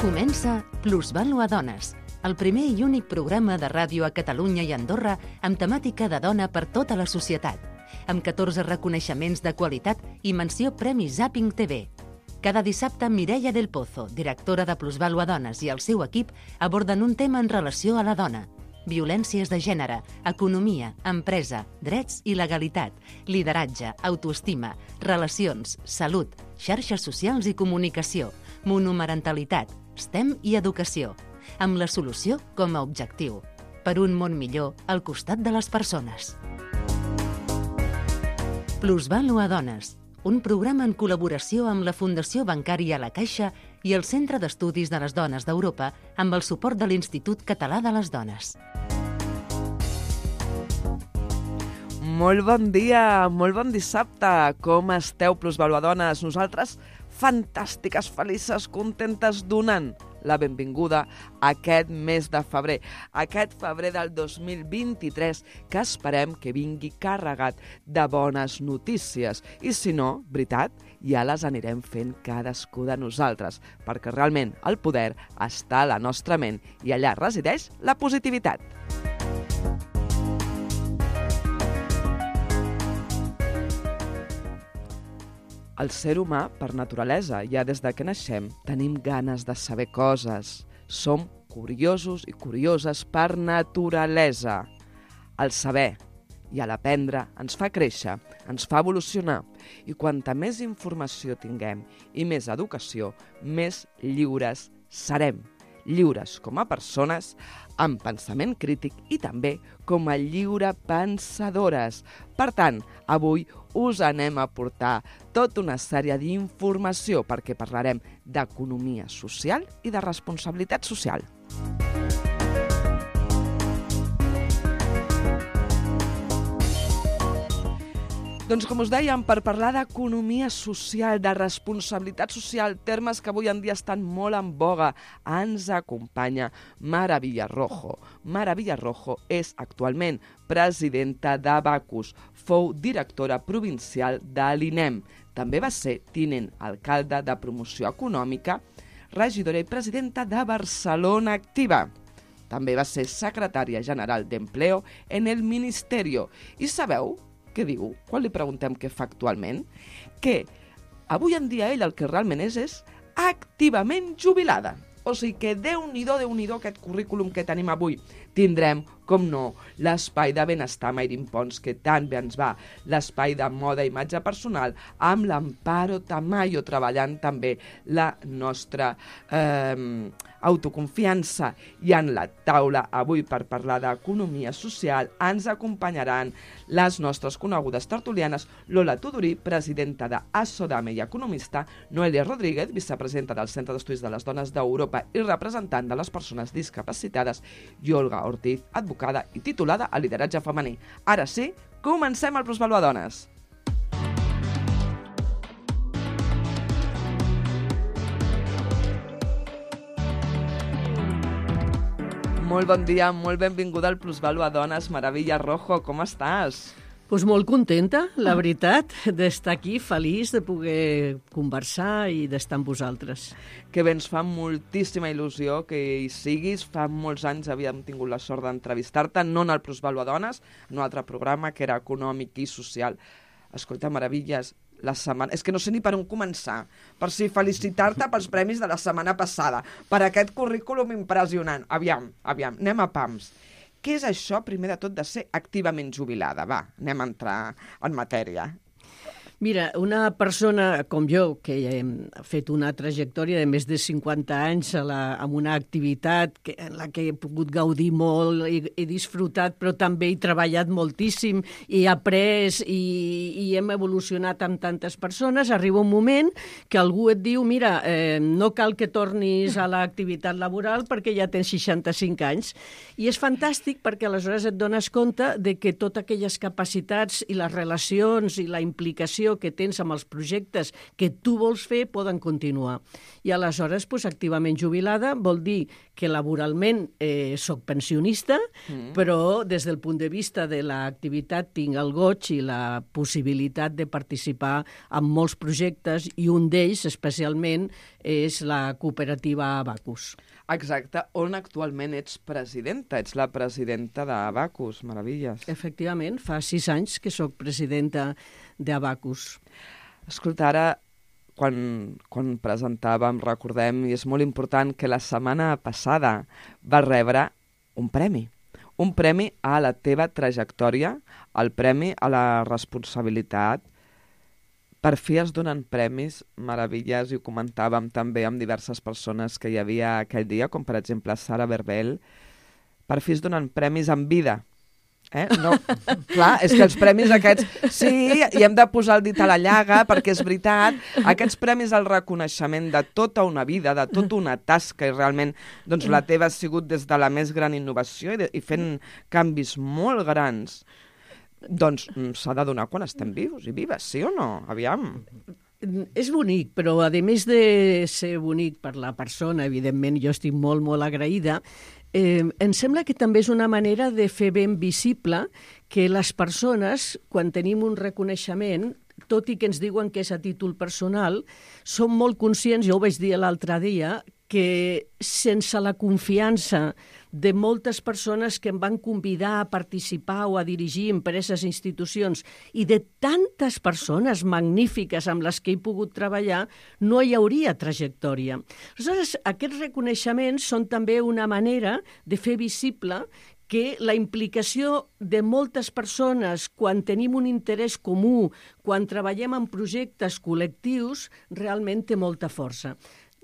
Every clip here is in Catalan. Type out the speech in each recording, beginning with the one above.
Comença Plusvàlua Dones, el primer i únic programa de ràdio a Catalunya i Andorra amb temàtica de dona per tota la societat, amb 14 reconeixements de qualitat i menció Premi Zapping TV. Cada dissabte, Mireia del Pozo, directora de Plusvàlua Dones, i el seu equip aborden un tema en relació a la dona. Violències de gènere, economia, empresa, drets i legalitat, lideratge, autoestima, relacions, salut, xarxes socials i comunicació, monomarentalitat, STEM i educació, amb la solució com a objectiu. Per un món millor al costat de les persones. Plusvàlua Dones, un programa en col·laboració amb la Fundació Bancària La Caixa i el Centre d'Estudis de les Dones d'Europa amb el suport de l'Institut Català de les Dones. Molt bon dia, molt bon dissabte. Com esteu, Plusvàlua Dones? Nosaltres fantàstiques, felices, contentes, donant la benvinguda a aquest mes de febrer. Aquest febrer del 2023 que esperem que vingui carregat de bones notícies. I si no, veritat, ja les anirem fent cadascú de nosaltres, perquè realment el poder està a la nostra ment i allà resideix la positivitat. El ser humà, per naturalesa, ja des de que naixem, tenim ganes de saber coses. Som curiosos i curioses per naturalesa. El saber i l'aprendre ens fa créixer, ens fa evolucionar. I quanta més informació tinguem i més educació, més lliures serem. Lliures com a persones, amb pensament crític i també com a lliurepensadores. Per tant, avui us anem a portar tota una sèrie d'informació perquè parlarem d'economia social i de responsabilitat social. Doncs com us dèiem, per parlar d'economia social, de responsabilitat social, termes que avui en dia estan molt en boga, ens acompanya Mara Villarrojo. Mara Villarrojo és actualment presidenta d'Abacus, fou directora provincial de l'INEM. També va ser tinent alcalde de promoció econòmica, regidora i presidenta de Barcelona Activa. També va ser secretària general d'Empleo en el Ministerio. I sabeu què diu quan li preguntem què fa actualment? Que avui en dia ell el que realment és activament jubilada. O sigui que Déu-n'hi-do aquest currículum que tenim avui. Tindrem, com no, l'espai de benestar Mayrin Pons, que tan bé ens va, l'espai de moda i imatge personal, amb l'Amparo Tamayo, treballant també la nostra autoconfiança. I en la taula, avui, per parlar d'economia social, ens acompanyaran les nostres conegudes tertulianes, Lola Tudurí, presidenta d'Assodame i economista, Noelia Rodríguez, vicepresidenta del Centre d'Estudis de les Dones d'Europa i representant de les persones discapacitades, i Olga Ortiz, advocada i titulada a lideratge femení. Ara sí, comencem el Plusvàlua Dones. Molt bon dia, molt benvinguda al Plusvàlua Dones. Mara Villarrojo, com estàs? Pues molt contenta, la veritat, d'estar aquí, feliç de poder conversar i d'estar amb vosaltres. Que bé, ens fa moltíssima il·lusió que hi siguis. Fa molts anys havíem tingut la sort d'entrevistar-te, no en el Plusvàlua Dones, en un altre programa que era econòmic i social. Escolta, meravilles, la setmana... És que no sé ni per on començar. Per si felicitar-te pels premis de la setmana passada, per aquest currículum impressionant. Aviam, anem a pams. Què és això, primer de tot, de ser activament jubilada? Va, anem a entrar en matèria. Mira, una persona com jo, que ha fet una trajectòria de més de 50 anys amb una activitat en la que he pogut gaudir molt, he disfrutat, però també he treballat moltíssim, he après i hem evolucionat amb tantes persones, arriba un moment que algú et diu, mira, no cal que tornis a l'activitat laboral perquè ja tens 65 anys. I és fantàstic perquè aleshores et dones compte de que totes aquelles capacitats i les relacions i la implicació il·lusió que tens amb els projectes que tu vols fer poden continuar. I aleshores, activament jubilada vol dir que laboralment soc pensionista, però des del punt de vista de l'activitat tinc el goig i la possibilitat de participar en molts projectes, i un d'ells especialment és la cooperativa Abacus. Exacte, on actualment ets presidenta. Ets la presidenta d'Abacus, meravelles. Efectivament, fa 6 anys que sóc presidenta d'Abacus. Escolta, ara, quan presentàvem, recordem, i és molt important, que la setmana passada va rebre un premi a la teva trajectòria, el premi a la responsabilitat. Per fi es donen premis, meravelles, i ho comentàvem també amb diverses persones que hi havia aquell dia, com per exemple Sara Berbel. Per fi es donen premis en vida. No, clar, és que els premis aquests, sí, i hem de posar el dit a la llaga, perquè és veritat, aquests premis al reconeixement de tota una vida, de tota una tasca, i realment doncs, la teva ha sigut des de la més gran innovació i fent canvis molt grans, doncs s'ha de donar quan estem vivos i vives, sí o no? Aviam. És bonic, però a més de ser bonic per la persona, evidentment jo estic molt, molt agraïda, em sembla que també és una manera de fer ben visible que les persones, quan tenim un reconeixement, tot i que ens diuen que és a títol personal, som molt conscients, jo ho vaig dir l'altre dia, que sense la confiança de moltes persones que em van convidar a participar o a dirigir empreses i institucions i de tantes persones magnífiques amb les que he pogut treballar, no hi hauria trajectòria. Aleshores, aquests reconeixements són també una manera de fer visible que la implicació de moltes persones quan tenim un interès comú, quan treballem en projectes col·lectius, realment té molta força.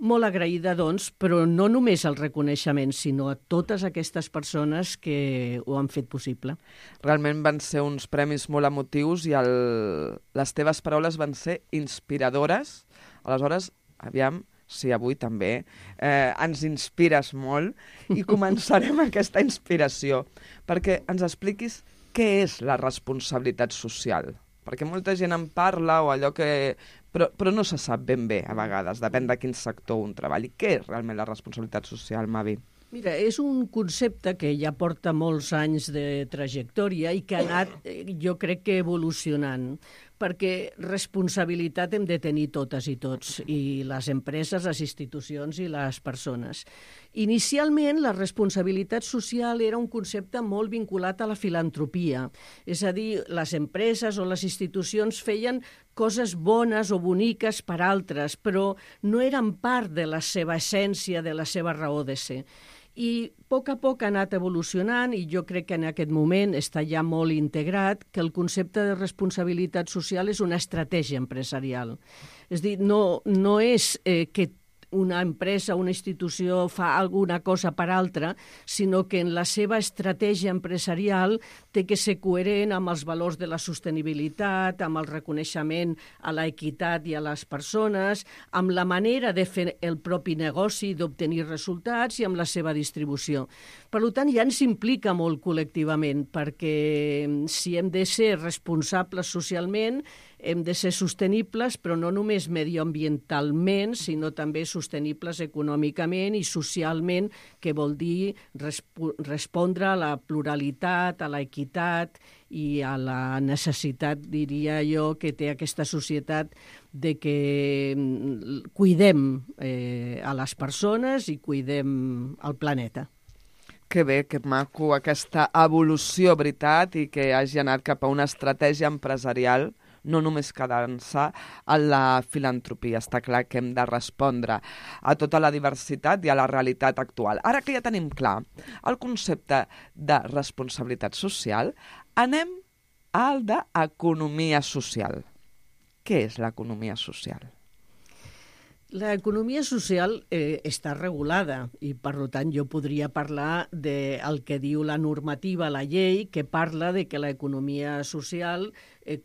Molt agraïda, doncs, però no només al reconeixement, sinó a totes aquestes persones que ho han fet possible. Realment van ser uns premis molt emotius i les teves paraules van ser inspiradores. Aleshores, aviam, sí, avui també, ens inspires molt i començarem aquesta inspiració perquè ens expliquis què és la responsabilitat social. Perquè molta gent en parla o allò que... Però no se sap ben bé, a vegades, depèn de quin sector un treballi. Què és realment la responsabilitat social, Mavi? Mira, és un concepte que ja porta molts anys de trajectòria i que ha anat, jo crec que evolucionant, perquè responsabilitat hem de tenir totes i tots, i les empreses, les institucions i les persones. Inicialment, la responsabilitat social era un concepte molt vinculat a la filantropia, és a dir, les empreses o les institucions feien coses bones o boniques per altres, però no eren part de la seva essència, de la seva raó de ser. I a poc ha anat evolucionant i jo crec que en aquest moment està ja molt integrat que el concepte de responsabilitat social és una estratègia empresarial. És a dir, no és que una empresa, una institució fa alguna cosa per altra, sinó que en la seva estratègia empresarial té que ser coherent amb els valors de la sostenibilitat, amb el reconeixement a l'equitat i a les persones, amb la manera de fer el propi negoci, d'obtenir resultats i amb la seva distribució. Per tant, ja ens implica molt col·lectivament, perquè si hem de ser responsables socialment, hem de ser sostenibles, però no només medioambientalment, sinó també sostenibles econòmicament i socialment, que vol dir respondre a la pluralitat, a l'equitat i a la necessitat, diria jo, que té aquesta societat de que cuidem a les persones i cuidem el planeta. Que bé, que maco aquesta evolució, veritat, i que hagi anat cap a una estratègia empresarial, no només quedant-se a la filantropia. Està clar que hem de respondre a tota la diversitat i a la realitat actual. Ara que ja tenim clar el concepte de responsabilitat social, anem al d'economia social. Què és l'economia social? L'economia social està regulada i, per tant, jo podria parlar del que diu la normativa, la llei, que parla de que l'economia social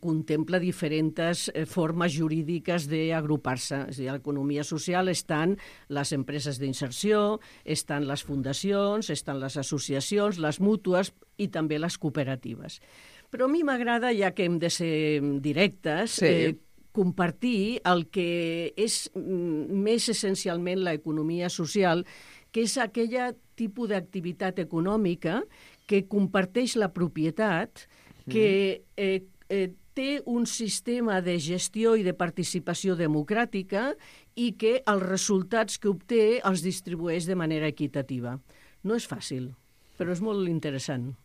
contempla diferents formes jurídiques d'agrupar-se. És a dir, a l'economia social estan les empreses d'inserció, estan les fundacions, estan les associacions, les mútues i també les cooperatives. Però a mi m'agrada, ja que hem de ser directes, compartir el que és més essencialment l'economia social, que és aquella tipus d'activitat econòmica que comparteix la propietat, que té un sistema de gestió i de participació democràtica i que els resultats que obté els distribueix de manera equitativa. No és fàcil, però és molt interessant.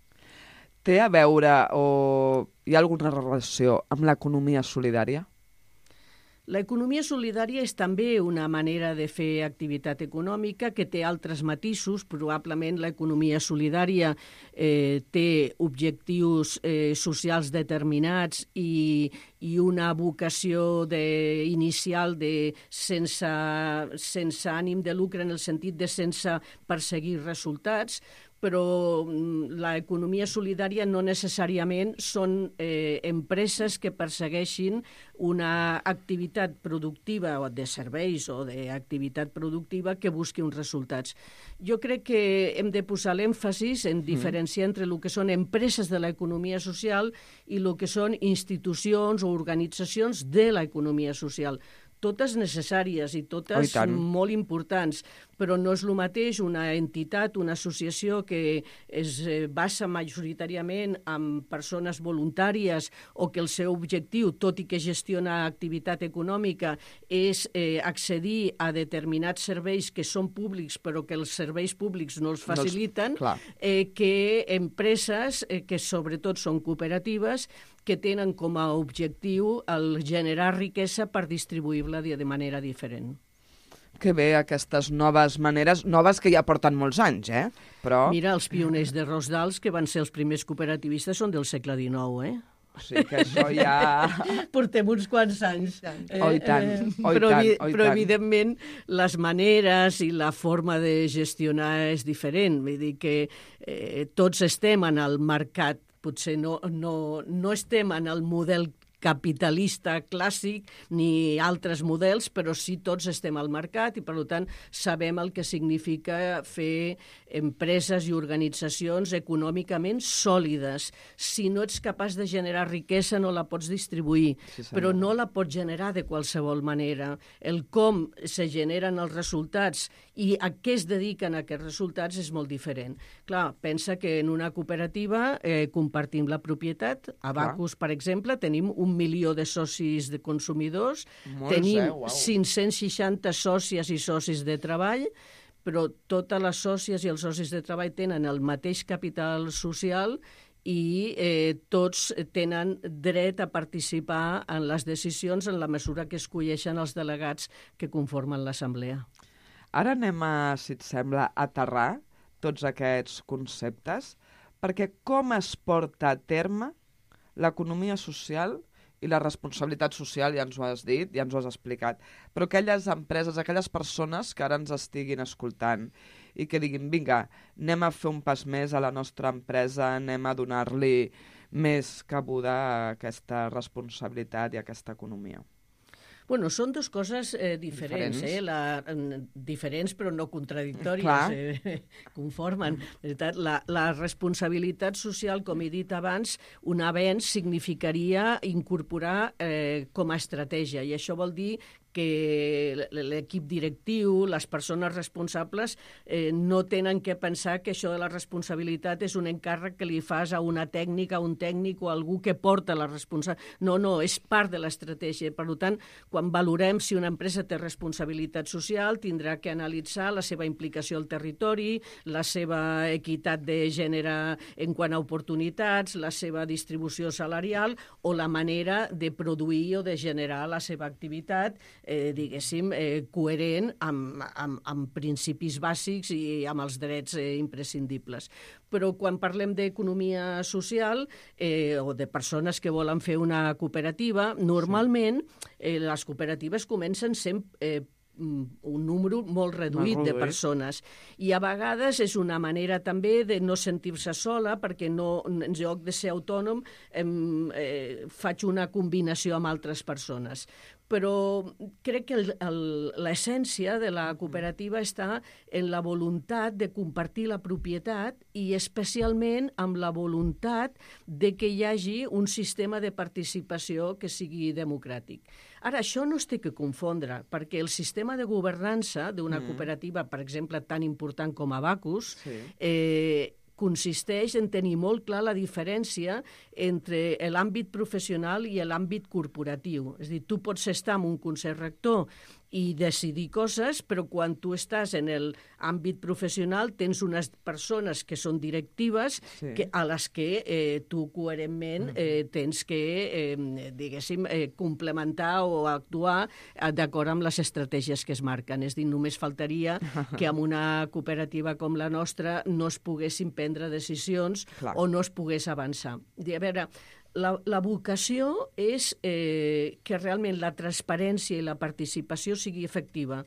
Té a veure o hi ha alguna relació amb l'economia solidària? L'economia solidària és també una manera de fer activitat econòmica que té altres matisos. Probablement l'economia solidària té objectius socials determinats i una vocació inicial sense ànim de lucre, en el sentit de sense perseguir resultats, però l'economia solidària no necessàriament són empreses que persegueixin una activitat productiva o de serveis o d'activitat productiva que busqui uns resultats. Jo crec que hem de posar l'èmfasis en diferenciar entre el que són empreses de l'economia social i el que són institucions o organitzacions de l'economia social. Totes necessàries i totes molt importants, però no és el mateix una entitat, una associació que es basa majoritàriament en persones voluntàries o que el seu objectiu, tot i que gestiona activitat econòmica, és accedir a determinats serveis que són públics però que els serveis públics no els faciliten, que empreses que sobretot són cooperatives que tenen com a objectiu el generar riquesa per distribuir-la de manera diferent. Que bé, aquestes noves maneres, noves que ja porten molts anys, Però... Mira, els pioners de Rosdals, que van ser els primers cooperativistes, són del segle XIX, O sigui que això ja... Portem uns quants anys. Però evidentment, les maneres i la forma de gestionar és diferent. Vull dir que tots estem en el mercat. Potser no estem en el model capitalista clàssic ni altres models, però sí tots estem al mercat i, per tant, sabem el que significa fer empreses i organitzacions econòmicament sòlides. Si no ets capaç de generar riquesa, no la pots distribuir, però no la pots generar de qualsevol manera. El com se generen els resultats i a què es dediquen aquests resultats és molt diferent. Clar, pensa que en una cooperativa compartim la propietat. A Bacus, per exemple, tenim 1 milió de socis de consumidors, tenim 560 sòcies i socis de treball, però totes les sòcies i els socis de treball tenen el mateix capital social i tots tenen dret a participar en les decisions en la mesura que escolleixen els delegats que conformen l'assemblea. Ara anem si et sembla, a aterrar tots aquests conceptes, perquè com es porta a terme l'economia social i la responsabilitat social, ja ens ho has dit, ja ens ho has explicat, però aquelles empreses, aquelles persones que ara ens estiguin escoltant i que diguin, vinga, anem a fer un pas més a la nostra empresa, anem a donar-li més cabuda a aquesta responsabilitat i a aquesta economia. Bueno, són dues coses diferents, diferents però no contradictòries, conformen. La responsabilitat social, com he dit abans, un avenç significaria incorporar com a estratègia, i això vol dir que l'equip directiu, les persones responsables, no tenen que pensar que això de la responsabilitat és un encàrrec que li fas a una tècnica, a un tècnic o a algú que porta la responsabilitat. No, és part de l'estratègia. Per tant, quan valorem si una empresa té responsabilitat social, tindrà que analitzar la seva implicació al territori, la seva equitat de gènere en quant a oportunitats, la seva distribució salarial o la manera de produir o de generar la seva activitat, diguéssim, coherent amb principis bàsics i amb els drets imprescindibles. Però quan parlem d'economia social o de persones que volen fer una cooperativa, normalment les cooperatives comencen sent un número molt reduït de persones. I a vegades és una manera també de no sentir-se sola, perquè no, en lloc de ser autònom faig una combinació amb altres persones. però crec que l'essència de la cooperativa està en la voluntat de compartir la propietat i especialment amb la voluntat de que hi hagi un sistema de participació que sigui democràtic. Ara, això no es té que confondre, perquè el sistema de governança d'una cooperativa, per exemple, tan important com Abacus, consisteix en tenir molt clar la diferència entre l'àmbit professional i l'àmbit corporatiu. És a dir, tu pots estar en un consell rector i decidir coses, però quan tu estàs en l'àmbit professional tens unes persones que són directives a les que tu coherentment tens que, diguéssim, complementar o actuar d'acord amb les estratègies que es marquen. És a dir, només faltaria que en una cooperativa com la nostra no es poguessin prendre decisions o no es pogués avançar. A veure, la vocació és que realment la transparència i la participació sigui efectiva.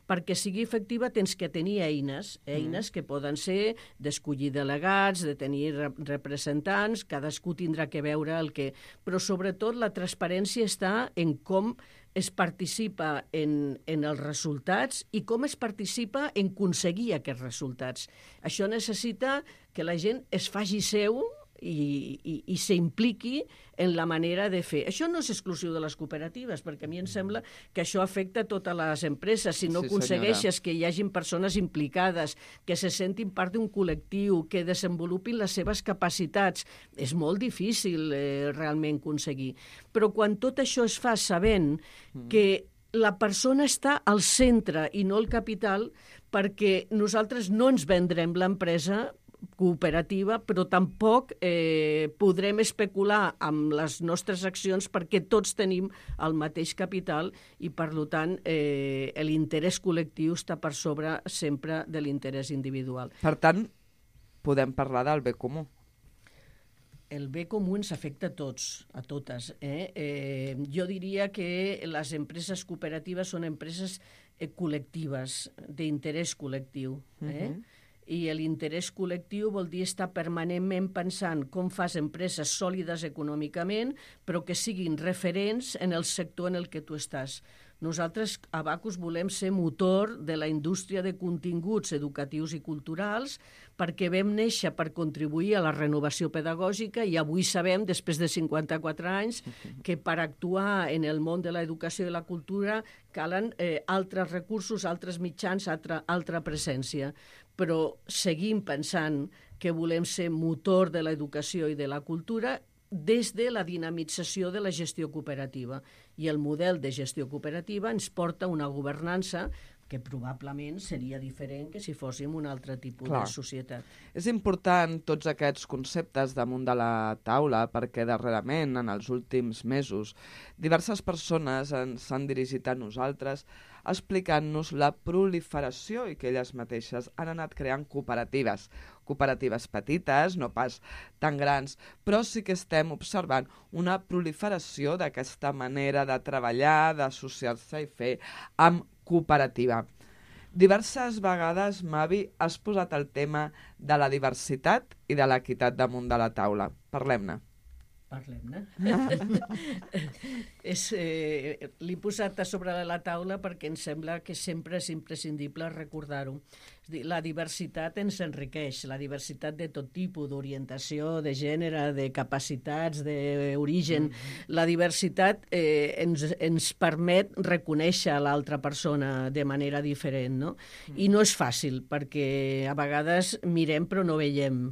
Perquè sigui efectiva tens que tenir eines que poden ser d'escollir delegats, de tenir representants, cadascú tindrà que veure el que... Però sobretot la transparència està en com es participa en els resultats i com es participa en aconseguir aquests resultats. Això necessita que la gent es faci seu i s'impliqui en la manera de fer. Això no és exclusiu de les cooperatives, perquè a mi em sembla que això afecta a totes les empreses. Si no aconsegueixes que hi hagin persones implicades, que se sentin part d'un col·lectiu, que desenvolupin les seves capacitats, és molt difícil realment aconseguir. Però quan tot això es fa sabent que la persona està al centre i no el capital, perquè nosaltres no ens vendrem l'empresa cooperativa, però tampoc podrem especular amb les nostres accions perquè tots tenim el mateix capital i, per tant, l'interès col·lectiu està per sobre sempre de l'interès individual. Per tant, podem parlar del bé comú. El bé comú ens afecta a tots, a totes. Jo diria que les empreses cooperatives són empreses col·lectives, d'interès col·lectiu. I l'interès col·lectiu vol dir estar permanentment pensant com fas empreses sòlides econòmicament, però que siguin referents en el sector en el que tu estàs. Nosaltres, a Abacus, volem ser motor de la indústria de continguts educatius i culturals perquè vam néixer per contribuir a la renovació pedagògica i avui sabem, després de 54 anys, que per actuar en el món de l'educació i la cultura calen altres recursos, altres mitjans, altra presència. Però seguim pensant que volem ser motor de l'educació i de la cultura des de la dinamització de la gestió cooperativa. I el model de gestió cooperativa ens porta una governança que probablement seria diferent que si fóssim un altre tipus de societat. És important tots aquests conceptes damunt de la taula perquè darrerament, en els últims mesos, diverses persones ens han dirigit a nosaltres explicant-nos la proliferació i que elles mateixes han anat creant cooperatives. Cooperatives petites, no pas tan grans, però sí que estem observant una proliferació d'aquesta manera de treballar, d'associar-se i fer amb cooperativa. Diverses vegades, Mavi, has posat el tema de la diversitat i de l'equitat damunt de la taula. Parlem-ne. Parlem-ne. L'he posat a sobre de la taula perquè em sembla que sempre és imprescindible recordar-ho. La diversitat ens enriqueix, la diversitat de tot tipus, d'orientació, de gènere, de capacitats, d'origen. La diversitat ens permet reconèixer l'altra persona de manera diferent, no? I no és fàcil, perquè a vegades mirem però no veiem.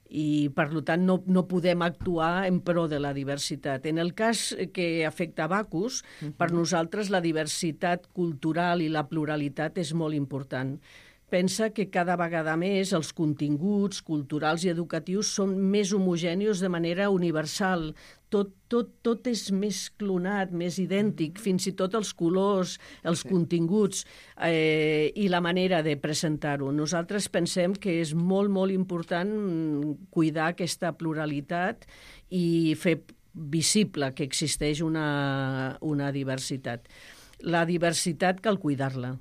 I, per tant, no podem actuar en pro de la diversitat. En el cas que afecta Abacus, per nosaltres la diversitat cultural i la pluralitat és molt important. Pensa que cada vegada més els continguts culturals i educatius són més homogenis de manera universal. Tot és més clonat, més idèntic, fins i tot els colors, els continguts i la manera de presentar-ho. Nosaltres pensem que és molt, molt important cuidar aquesta pluralitat i fer visible que existeix una diversitat. La diversitat cal cuidar-la,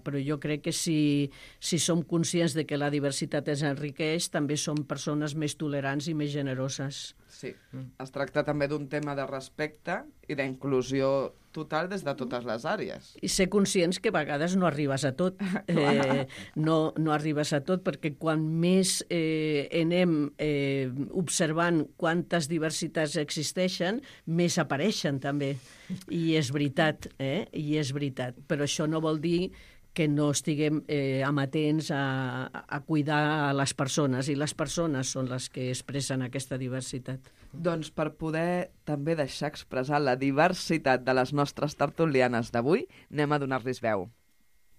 però jo crec que si som conscients de que la diversitat ens enriqueix, també som persones més tolerants i més generoses. Sí, es tracta també d'un tema de respecte i d'inclusió total des de totes les àrees. I ser conscients que a vegades no arribes a tot. No arribes a tot perquè quan més anem observant quantes diversitats existeixen, més apareixen també. I és veritat, i és veritat. Però això no vol dir que no estiguem amatents a cuidar les persones, i les persones són les que expressen aquesta diversitat. Doncs per poder també deixar expressar la diversitat de les nostres tertulianes d'avui, anem a donar-los veu.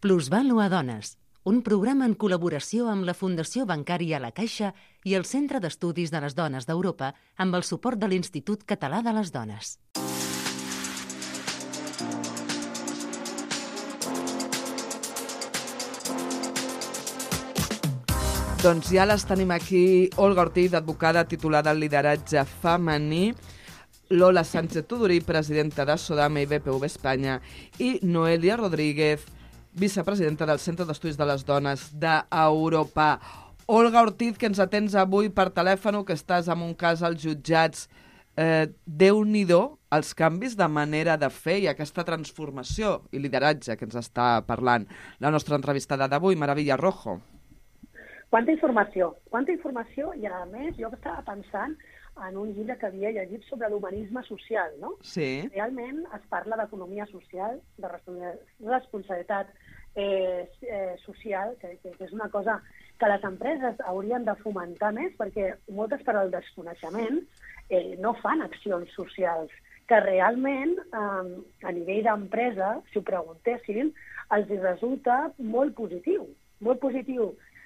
Plusvàlua Dones, un programa en col·laboració amb la Fundació Bancària La Caixa i el Centre d'Estudis de les Dones d'Europa amb el suport de l'Institut Català de les Dones. Doncs ja les tenim aquí, Olga Ortiz, advocada titulada en lideratge femení, Lola Sánchez Tudurí, presidenta de Sodame i BPV Espanya, i Noelia Rodríguez, vicepresidenta del Centre d'Estudis de les Dones d'Europa. Olga Ortiz, que ens atens avui per telèfon, que estàs en un cas als jutjats. Déu-n'hi-do els canvis de manera de fer i aquesta transformació i lideratge que ens està parlant la nostra entrevistada d'avui, Mara Villarrojo. Quanta informació, i a més jo estava pensant en un llibre que havia llegit sobre l'humanisme social, no? Sí. Realment es parla d'economia social, de responsabilitat social, que és una cosa que les empreses haurien de fomentar més, perquè moltes per al desconeixement no fan accions socials, que realment a nivell d'empresa, si ho preguntessin, els resulta molt positiu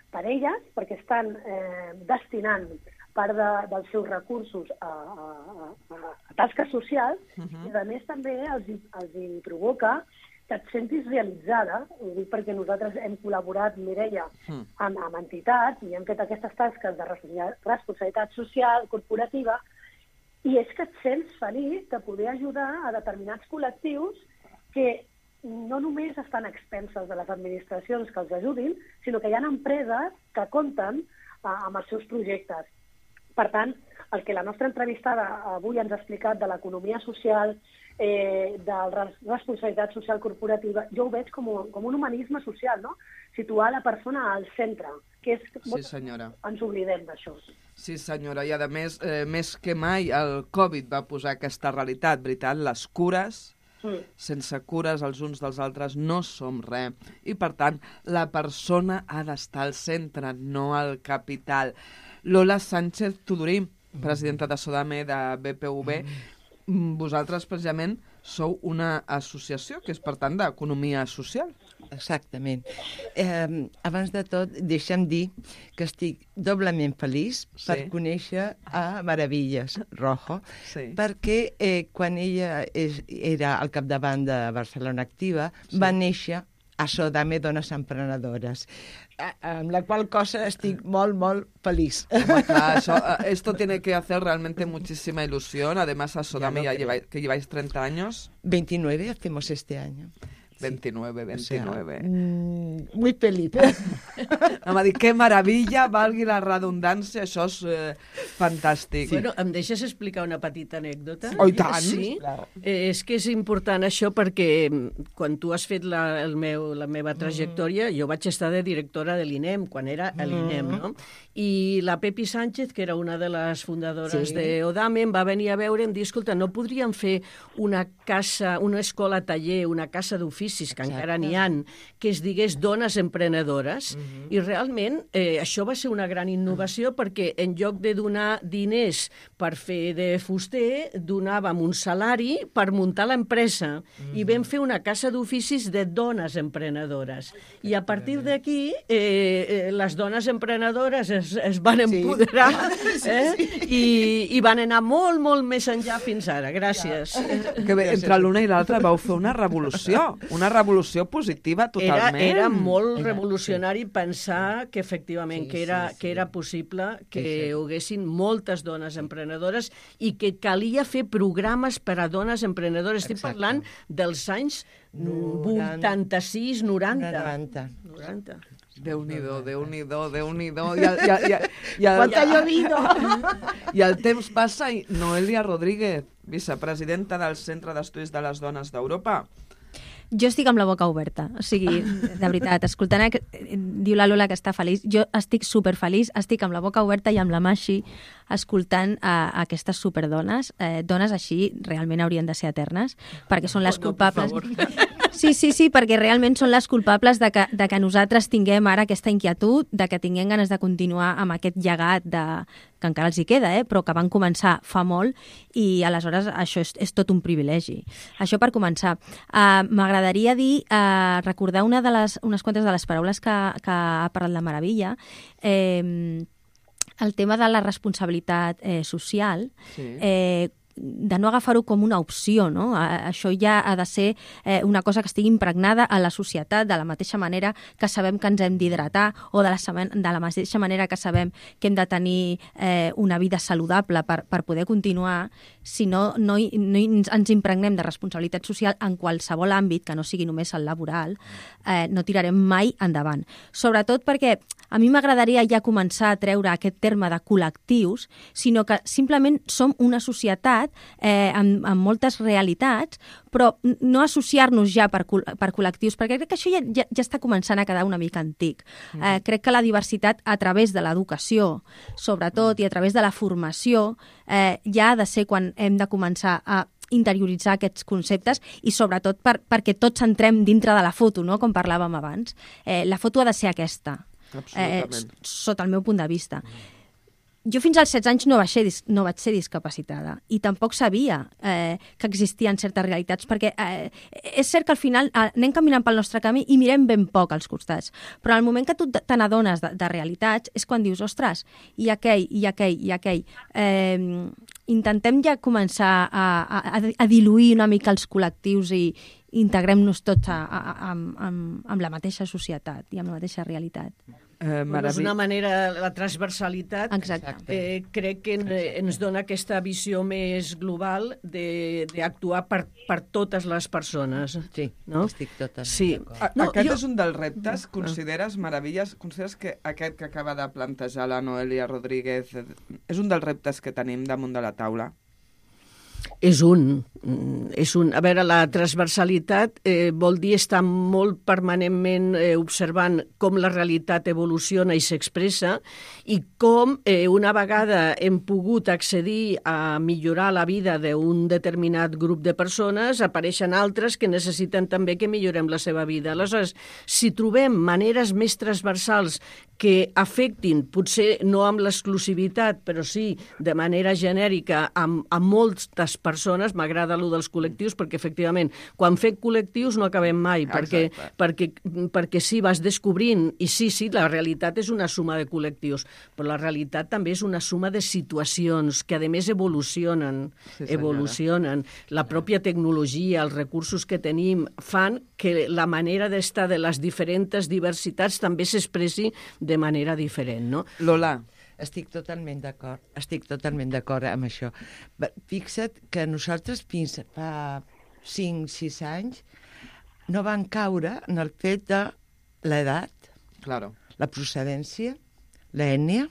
per elles, perquè estan destinant part dels seus recursos a tasques socials, i a més també els provoca que et sentis realitzada. Ho dic perquè nosaltres hem col·laborat, Mireia, amb entitats i hem fet aquestes tasques de responsabilitat social, corporativa, i és que et sents feliç de poder ajudar a determinats col·lectius que no només estan a expenses de les administracions que els ajudin, sinó que hi ha empreses que compten amb els seus projectes. Per tant, el que la nostra entrevistada avui ens ha explicat de l'economia social, de la responsabilitat social corporativa, jo ho veig com un humanisme social, no? Situar la persona al centre, que és... Sí, senyora. Ens oblidem d'això. Sí, senyora, i a més, més que mai, el Covid va posar aquesta realitat, veritat? Les cures... Sense cures els uns dels altres no som res. I, per tant, la persona ha d'estar al centre, no al capital. Lola Sánchez Tudurí, presidenta de Sodame, de BPV, vosaltres, precisament, sou una associació que és, per tant, d'economia social. Exactament. Abans de tot, deixa'm dir que estic doblement feliç per conèixer a Mara Villarrojo, perquè quan ella era al capdavant de Barcelona Activa, va néixer a Sodame Dones Emprenedores, amb la qual cosa estic molt, molt feliç. Home, clar, esto tiene que hacer realmente muchísima ilusión. Además, a Sodame que lleváis 30 años. 29 hacemos este año. 29. O sea, muy feliz. Em va dir, que meravella, valgui la redundància, això és fantàstic. Bueno, em deixes explicar una petita anècdota? Oh, i tant! Sí, és que és important això perquè quan tu has fet la meva trajectòria, jo vaig estar de directora de l'INEM, quan era a l'INEM, no? I la Pepi Sánchez, que era una de les fundadores d'Odame, em va venir a veure i em dir, escolta, no podríem fer una escola-taller, una casa d'oficis, que encara n'hi ha, que es digués Dones Emprenedores, i realment això va ser una gran innovació perquè en lloc de donar diners per fer de fuster, donàvem un salari per muntar l'empresa, i vam fer una casa d'oficis de dones emprenedores. I a partir d'aquí, les dones emprenedores es van empoderar i van anar molt, molt més enllà fins ara. Gràcies. Que bé, entre l'una i l'altra vau fer una revolució positiva totalment. Era molt revolucionari pensar que efectivament que era possible que hi haguessin moltes dones emprenedores i que calia fer programes per a dones emprenedores. Estic parlant dels anys 86, 90. Déu-n'hi-do, Déu-n'hi-do, Déu-n'hi-do. Quant ha llovido! I el temps passa i Noelia Rodríguez, vicepresidenta del Centre d'Estudis de les Dones d'Europa. Jo estic amb la boca oberta, o sigui, de veritat, escoltant, diu la Lola que està feliç, jo estic superfeliç, estic amb la boca oberta i amb la mà així, escoltant aquestes superdones, dones així realment haurien de ser eternes, perquè són les culpables... Sí, perquè realment són les culpables de que nosaltres tinguem ara aquesta inquietud, de que tinguem ganes de continuar amb aquest llegat que encara els hi queda, però que van començar fa molt i aleshores això és tot un privilegi. Això per començar. M'agradaria recordar unes quantes de les paraules que ha parlat la Maravilla, el tema de la responsabilitat social, de no agafar-ho com una opció, no? Això ja ha de ser una cosa que estigui impregnada a la societat, de la mateixa manera que sabem que ens hem d'hidratar o de la mateixa manera que sabem que hem de tenir una vida saludable per poder continuar. Si no ens impregnem de responsabilitat social en qualsevol àmbit, que no sigui només el laboral, no tirarem mai endavant. Sobretot perquè a mi m'agradaria ja començar a treure aquest terme de col·lectius, sinó que simplement som una societat amb moltes realitats, però no associar-nos ja per col·lectius, perquè crec que això ja està començant a quedar una mica antic. Crec que la diversitat a través de l'educació, sobretot, i a través de la formació, ja ha de ser quan hem de començar a interioritzar aquests conceptes i sobretot perquè tots entrem dintre de la foto, no? Com parlàvem abans. La foto ha de ser aquesta, sota el meu punt de vista. Jo fins als 16 anys no vaig ser discapacitada i tampoc sabia que existien certes realitats, perquè és cert que al final anem caminant pel nostre camí i mirem ben poc als costats, però al moment que tu te n'adones de realitats és quan dius, ostres, i aquell. Intentem ja començar a diluir una mica els col·lectius i integrem-nos tots amb la mateixa societat i amb la mateixa realitat. És una manera, la transversalitat, crec que ens dona aquesta visió més global d'actuar per totes les persones. Sí, no? Estic totalment d'acord. Aquest és un dels reptes, consideres, Maravillas, consideres que aquest que acaba de plantejar la Noelia Rodríguez és un dels reptes que tenim damunt de la taula? És un. A veure, la transversalitat vol dir estar molt permanentment observant com la realitat evoluciona i s'expressa i com una vegada hem pogut accedir a millorar la vida d'un determinat grup de persones, apareixen altres que necessiten també que millorem la seva vida. Aleshores, si trobem maneres més transversals que afectin, potser no amb l'exclusivitat, però sí de manera genèrica a moltes persones, m'agrada allò dels col·lectius, perquè efectivament, quan fem col·lectius no acabem mai, perquè sí, vas descobrint, i sí, la realitat és una suma de col·lectius, però la realitat també és una suma de situacions que, a més, evolucionen. La pròpia tecnologia, els recursos que tenim, fan que la manera d'estar de les diferents diversitats també s'expressi de manera diferent, no? Lola. Estic totalment d'acord amb això. Fixa't que nosaltres fins fa 5-6 anys no van caure en el fet de l'edat, la procedència, l'ètnia,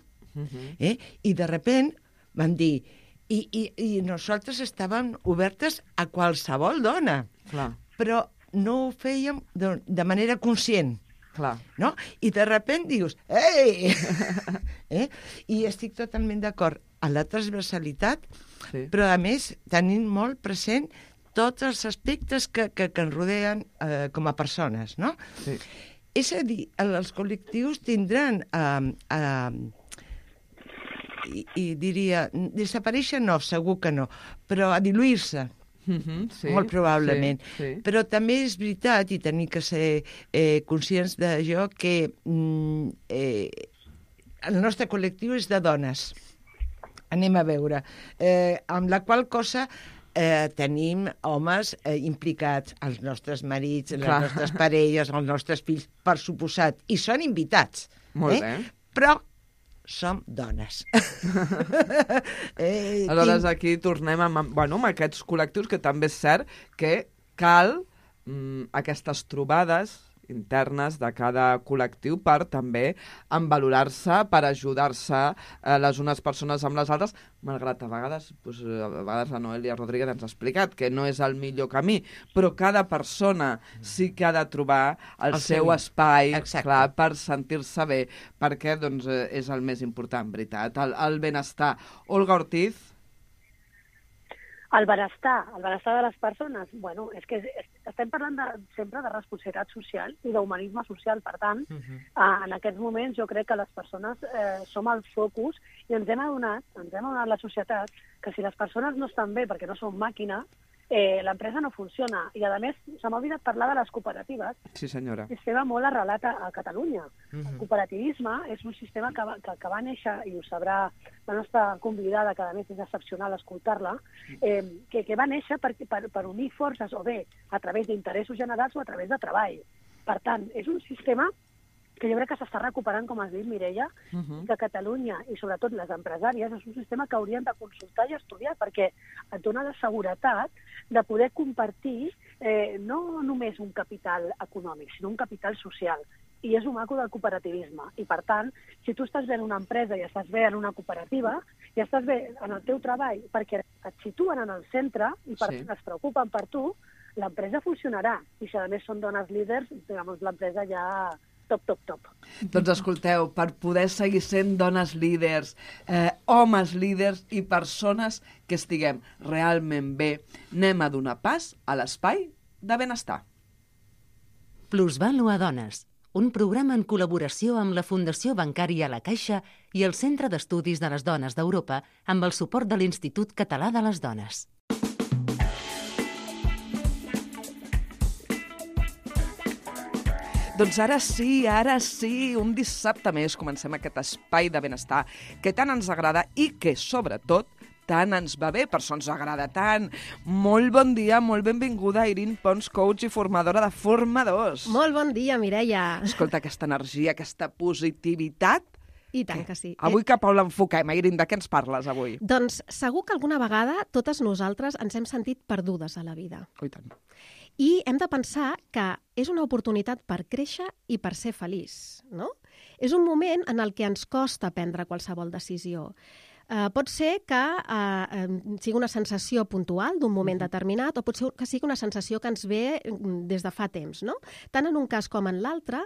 i de repent van dir i nosaltres estàvem obertes a qualsevol dona, però no ho fèiem de manera conscient. No? I de repent dius, ei! I estic totalment d'acord amb la transversalitat, però a més tenim molt present tots els aspectes que ens rodeen com a persones, no? És a dir, els col·lectius tindran i diria, desaparèixer no, segur que no, però a diluir-se. Molt probablement. Però també és veritat, i tenim que ser conscients d'això, que el nostre col·lectiu és de dones. Anem a veure. Amb la qual cosa tenim homes implicats, els nostres marits, les nostres parelles, els nostres fills, per suposat, i són invitats. Molt bé. Però som dones. Aleshores, aquí tornem amb aquests col·lectius, que també és cert que cal aquestes trobades internes de cada col·lectiu per també envalorar-se, per ajudar-se les unes persones amb les altres, malgrat a vegades la Noelia Rodríguez ens ha explicat que no és el millor camí, però cada persona sí que ha de trobar el seu espai, clar, per sentir-se bé, perquè doncs, és el més important, veritat, el benestar. Olga Ortiz. El benestar de les persones, bueno, és que estem parlant sempre de responsabilitat social i d'humanisme social, per tant, en aquests moments jo crec que les persones som el focus i ens hem adonat la societat que si les persones no estan bé perquè no són màquina, l'empresa no funciona. I, a més, se m'ha oblidat parlar de les cooperatives. Sí, senyora. Un sistema molt arrelat a Catalunya. El cooperativisme és un sistema que va néixer, i ho sabrà la nostra convidada, que a més és excepcional escoltar-la, que va néixer per unir forces, o bé a través d'interessos generals o a través de treball. Per tant, és un sistema que jo crec que s'està recuperant, com has dit, Mireia, que Catalunya, i sobretot les empresàries, és un sistema que haurien de consultar i estudiar, perquè et dona la seguretat de poder compartir no només un capital econòmic, sinó un capital social. I és un maco del cooperativisme. I, per tant, si tu estàs bé en una empresa i estàs bé en una cooperativa, i estàs bé en el teu treball perquè et situen en el centre i per tant es preocupen per tu, l'empresa funcionarà. I si a més són dones líders, l'empresa ja top. Doncs escolteu, per poder seguir sent dones líders, homes líders i persones que estiguem realment bé, anem a donar pas a l'espai de benestar. Plusvàlua Dones, un programa en col·laboració amb la Fundació Bancària La Caixa i el Centre d'Estudis de les Dones d'Europa amb el suport de l'Institut Català de les Dones. Doncs ara sí, un dissabte més comencem aquest espai de benestar que tant ens agrada i que, sobretot, tant ens va bé, per això ens agrada tant. Molt bon dia, molt benvinguda, Irin Pons, coach i formadora de formadors. Molt bon dia, Mireia. Escolta, aquesta energia, aquesta positivitat. I tant que sí. Avui cap a on l'enfoquem, Irin? De què ens parles avui? Doncs segur que alguna vegada totes nosaltres ens hem sentit perdudes a la vida. Oh, i tant. I hem de pensar que és una oportunitat per créixer i per ser feliç, no? És un moment en el que ens costa prendre qualsevol decisió. Pot ser que sigui una sensació puntual d'un moment determinat o pot ser que sigui una sensació que ens ve des de fa temps, no? Tant en un cas com en l'altre,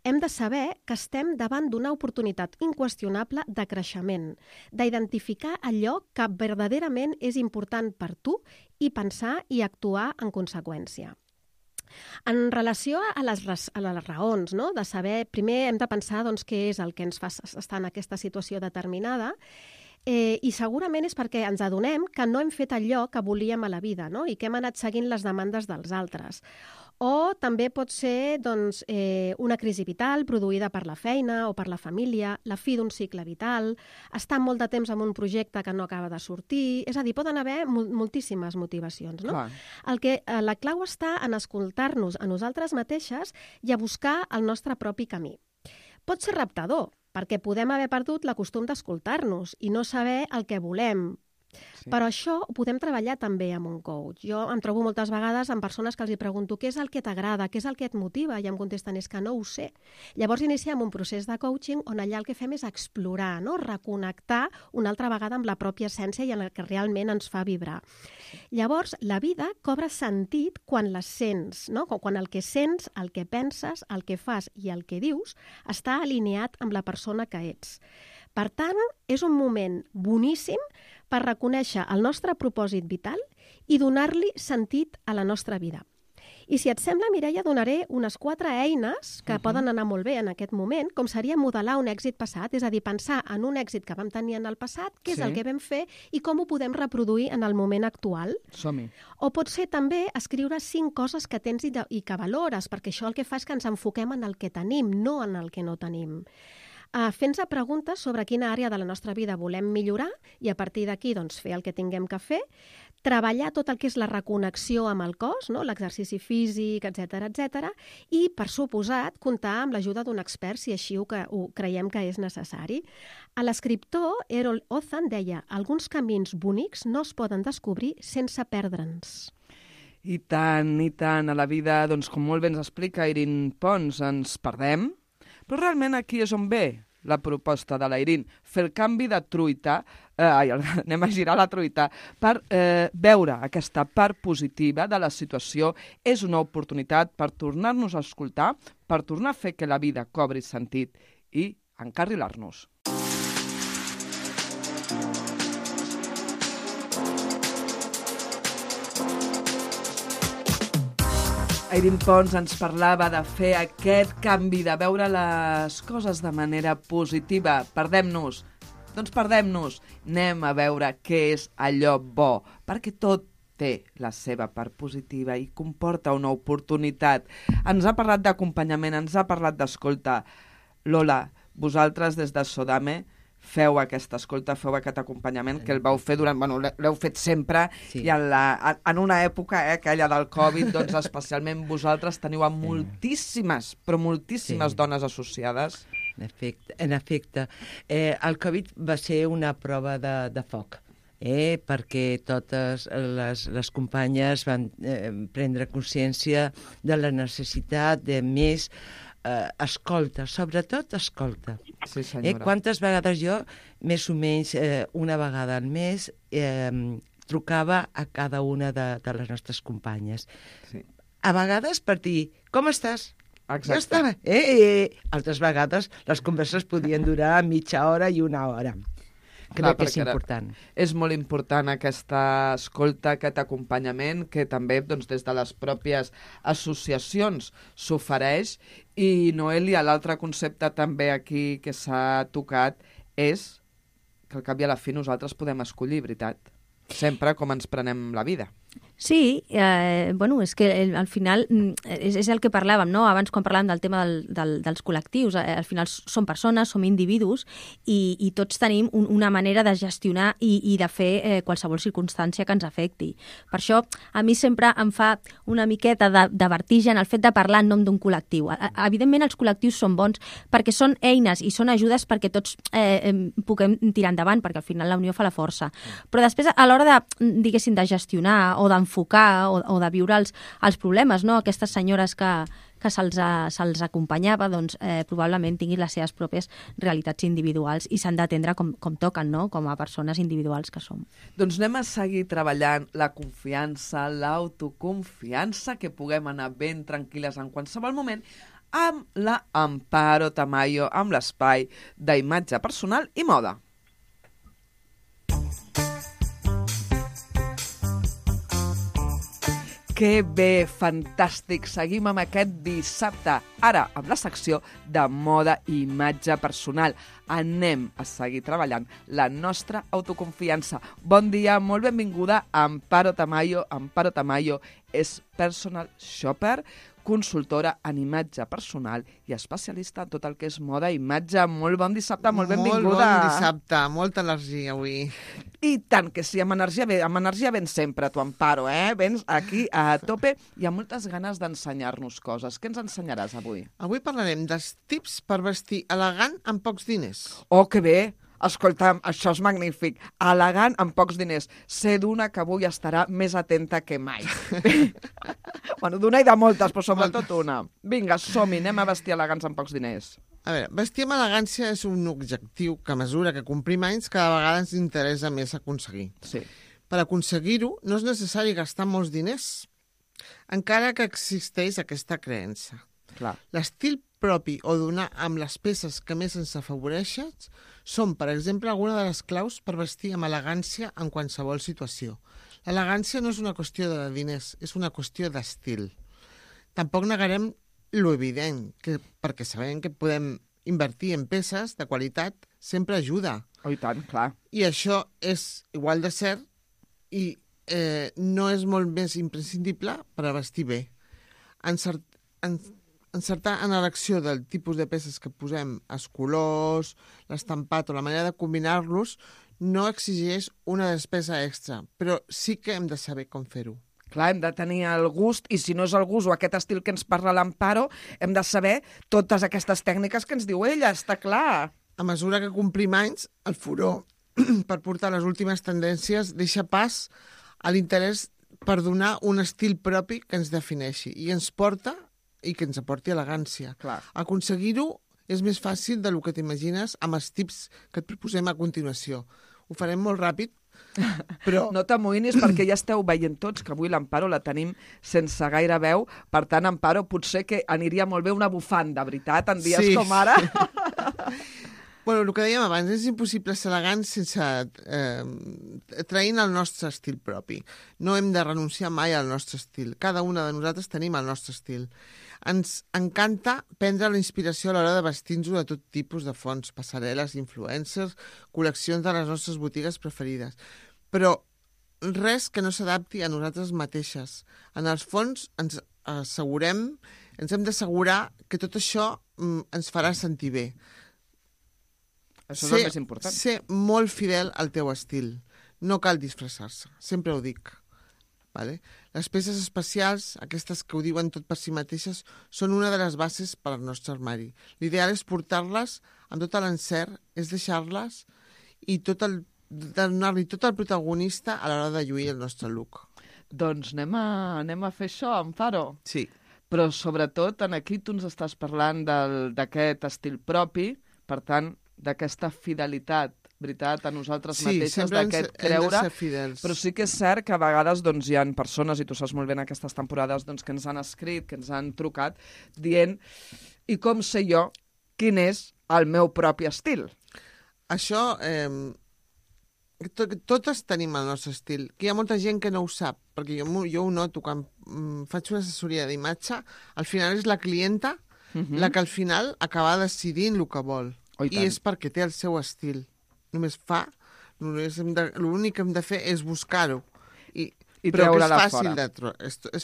hem de saber que estem davant d'una oportunitat inqüestionable de creixement, d'identificar allò que verdaderament és important per tu i pensar i actuar en conseqüència. En relació a les raons, no? De saber, primer hem de pensar doncs, què és el que ens fa estar en aquesta situació determinada, i segurament és perquè ens adonem que no hem fet allò que volíem a la vida, no? I que hem anat seguint les demandes dels altres. O també pot ser doncs, una crisi vital produïda per la feina o per la família, la fi d'un cicle vital, estar molt de temps en un projecte que no acaba de sortir... És a dir, poden haver moltíssimes motivacions, no? La clau està en escoltar-nos a nosaltres mateixes i a buscar el nostre propi camí. Pot ser reptador, perquè podem haver perdut el costum d'escoltar-nos i no saber el que volem. Sí. Però això ho podem treballar també amb un coach. Jo em trobo moltes vegades amb persones que els hi pregunto què és el que t'agrada, què és el que et motiva, i em contesten és que no ho sé. Llavors iniciem un procés de coaching on allà el que fem és explorar, no? Reconnectar una altra vegada amb la pròpia essència i en el que realment ens fa vibrar. Llavors, la vida cobra sentit quan la sents, no? Quan el que sents, el que penses, el que fas i el que dius està alineat amb la persona que ets. Per tant, és un moment boníssim per reconèixer el nostre propòsit vital i donar-li sentit a la nostra vida. I si et sembla, Mireia, donaré unes 4 eines que poden anar molt bé en aquest moment, com seria modelar un èxit passat, és a dir, pensar en un èxit que vam tenir en el passat, què és el que vam fer i com ho podem reproduir en el moment actual. Som-hi. O pot ser també escriure 5 coses que tens i que valores, perquè això el que fa és que ens enfoquem en el que tenim, no en el que no tenim. Fent-se preguntes sobre quina àrea de la nostra vida volem millorar i a partir d'aquí doncs, fer el que tinguem que fer, treballar tot el que és la reconnexió amb el cos, no? L'exercici físic, etc., i, per suposat, comptar amb l'ajuda d'un expert si així ho creiem que és necessari. L'escriptor Errol Ozan deia: alguns camins bonics no es poden descobrir sense perdre'ns. I tant, a la vida, doncs, com molt bé ens explica Irin Pons, ens perdem, però realment aquí és on ve la proposta de la Irin, fer el canvi de truita, anem a girar la truita, per veure aquesta part positiva de la situació. És una oportunitat per tornar-nos a escoltar, per tornar a fer que la vida cobri sentit i encarrilar-nos. Irin Pons ens parlava de fer aquest canvi, de veure les coses de manera positiva. Perdem-nos. Doncs perdem-nos. Anem a veure què és allò bo, perquè tot té la seva part positiva i comporta una oportunitat. Ens ha parlat d'acompanyament, ens ha parlat d'escolta. Lola, vosaltres des de Sodame feu aquesta escolta, feu aquest acompanyament que el vau fer durant... Bueno, l'heu fet sempre i en una època, aquella del Covid, doncs especialment vosaltres teniu a moltíssimes, però moltíssimes dones associades. En efecte. El Covid va ser una prova de foc, perquè totes les companyes van prendre consciència de la necessitat de més escolta, sobretot escolta. Sí, senyora. Quantes vegades jo, més o menys una vegada al mes, trucava a cada una de les nostres companyes. Sí. A vegades per dir, com estàs? Exacte. Ja estava. Altres vegades les converses podien durar mitja hora i una hora. Crec que és important. És molt important aquesta escolta, aquest acompanyament, que també doncs, des de les pròpies associacions s'ofereix. I, Noelia, l'altre concepte també aquí que s'ha tocat és que al cap i a la fi nosaltres podem escollir, veritat? Sempre com ens prenem la vida. Sí, bueno, és que al final és el que parlàvem, no? Abans quan parlàvem del tema dels col·lectius, al final som persones, som individus i tots tenim una manera de gestionar i de fer qualsevol circumstància que ens afecti. Per això a mi sempre em fa una miqueta de vertigen el fet de parlar en nom d'un col·lectiu. Evidentment els col·lectius són bons perquè són eines i són ajudes perquè tots puguem tirar endavant, perquè al final la unió fa la força. Però després a l'hora de, diguéssim, de gestionar o d'enfocar o de viure els problemes, no? Aquestes senyores que se'ls acompanyava, doncs probablement tinguin les seves pròpies realitats individuals i s'han d'atendre com toquen, no? Com a persones individuals que som. Doncs anem a seguir treballant la confiança, l'autoconfiança, que puguem anar ben tranquil·les en qualsevol moment, amb la Amparo Tamayo, amb l'espai d'imatge personal i moda. Que bé, fantàstic. Seguim amb aquest dissabte. Ara, amb la secció de moda i imatge personal. Anem a seguir treballant la nostra autoconfiança. Bon dia, molt benvinguda a Amparo Tamayo. Amparo Tamayo és personal shopper, consultora en imatge personal i especialista en tot el que és moda i imatge. Molt bon dissabte, molt benvinguda. Molt bon dissabte, molta energia avui. I tant que sí, amb energia ben sempre, tu, Amparo, Vens aquí a tope i amb moltes ganes d'ensenyar-nos coses. Què ens ensenyaràs avui? Avui parlarem dels tips per vestir elegant amb pocs diners. Oh, que bé! Escolta'm, això és magnífic. Elegant amb pocs diners. Sé d'una que avui estarà més atenta que mai. Bueno, d'una i de moltes, però sobretot una. Vinga, som-hi, anem a vestir elegants amb pocs diners. A veure, vestir amb elegància és un objectiu que a mesura que complim anys cada vegada ens interessa més aconseguir. Sí. Per aconseguir-ho no és necessari gastar molts diners, encara que existeix aquesta creença. Clar. L'estil propi o donar amb les peces que més ens afavoreixen són, per exemple, alguna de les claus per vestir amb elegància en qualsevol situació. L'elegància no és una qüestió de diners, és una qüestió d'estil. Tampoc negarem lo evident, perquè sabem que podem invertir en peces de qualitat sempre ajuda. Oh, i tant, clar. I això és igual de cert i no és molt més imprescindible per a vestir bé. Encertar en l'elecció del tipus de peces que posem, els colors, l'estampat o la manera de combinar-los, no exigeix una despesa extra, però sí que hem de saber com fer-ho. Clar, hem de tenir el gust, i si no és el gust o aquest estil que ens parla l'Amparo, hem de saber totes aquestes tècniques que ens diu ella, està clar. A mesura que complim anys, el furor per portar les últimes tendències deixa pas a l'interès per donar un estil propi que ens defineixi i ens porta i que ens aporti elegància. Clar. Aconseguir-ho és més fàcil del que t'imagines amb els tips que et proposem a continuació. Ho farem molt ràpid, però... No t'amoïnis perquè ja esteu veient tots que avui l'Amparo la tenim sense gaire veu. Per tant, Amparo, potser que aniria molt bé una bufanda, veritat, en dies com ara. Bueno, el que dèiem abans, és impossible ser elegant sense traint el nostre estil propi. No hem de renunciar mai al nostre estil. Cada una de nosaltres tenim el nostre estil. Ens encanta prendre la inspiració a l'hora de vestir-nos de tot tipus de fonts, passarel·les, influencers, col·leccions de les nostres botigues preferides. Però res que no s'adapti a nosaltres mateixes. En els fons ens hem d'assegurar que tot això ens farà sentir bé. Això és el més important. Ser molt fidel al teu estil. No cal disfressar-se, sempre ho dic. Vale? Les peces especials, aquestes que ho diuen tot per si mateixes, són una de les bases per al nostre armari. L'ideal és portar-les amb tot l'encert, és deixar-les i donar-li tot el protagonista a l'hora de lluir el nostre look. Doncs anem a fer això, Amparo. Sí. Però sobretot aquí tu ens estàs parlant d'aquest estil propi, per tant, d'aquesta fidelitat, veritat, a nosaltres mateixes, d'aquest creure, però sí que és cert que a vegades hi ha persones, i tu saps molt bé en aquestes temporades, que ens han escrit, que ens han trucat, dient, i com sé jo quin és el meu propi estil? Això, totes tenim el nostre estil, que hi ha molta gent que no ho sap, perquè jo ho noto, quan faig una assessoria d'imatge, al final és la clienta la que al final acaba decidint el que vol. I és perquè té el seu estil. L'únic que hem de fer és buscar-ho. Però que és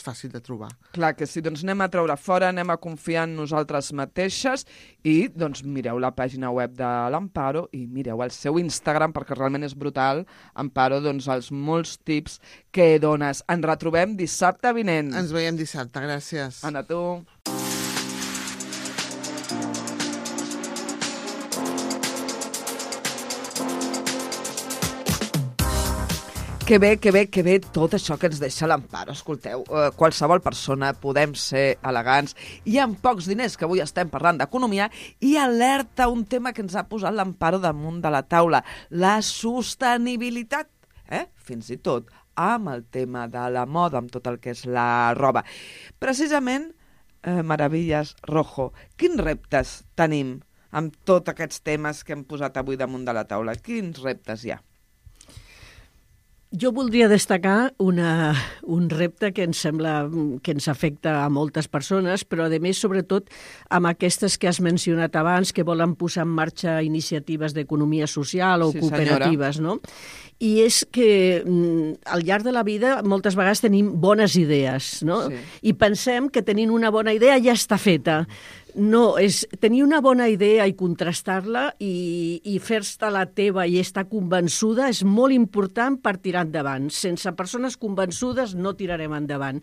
fàcil de trobar. Clar que sí, doncs anem a treure fora, anem a confiar en nosaltres mateixes i mireu la pàgina web de l'Amparo i mireu el seu Instagram perquè realment és brutal. Amparo, els molts tips que dones. Ens retrobem dissabte vinent. Ens veiem dissabte, gràcies. Anna, tu. Que bé tot això que ens deixa l'Amparo. Escolteu, qualsevol persona podem ser elegants i amb pocs diners, que avui estem parlant d'economia, i alerta un tema que ens ha posat l'Amparo damunt de la taula, la sostenibilitat. Fins i tot amb el tema de la moda, amb tot el que és la roba. Precisament, Maravillas Rojo, quins reptes tenim amb tots aquests temes que hem posat avui damunt de la taula? Quins reptes hi ha? Jo voldria destacar un repte que ens sembla que ens afecta a moltes persones, però a més, sobretot, amb aquestes que has mencionat abans, que volen posar en marxa iniciatives d'economia social o cooperatives, no? I és que al llarg de la vida moltes vegades tenim bones idees, no? Sí. I pensem que tenint una bona idea ja està feta. No, és tenir una bona idea i contrastar-la i fer-te la teva i estar convençuda és molt important per tirar endavant. Sense persones convençudes no tirarem endavant.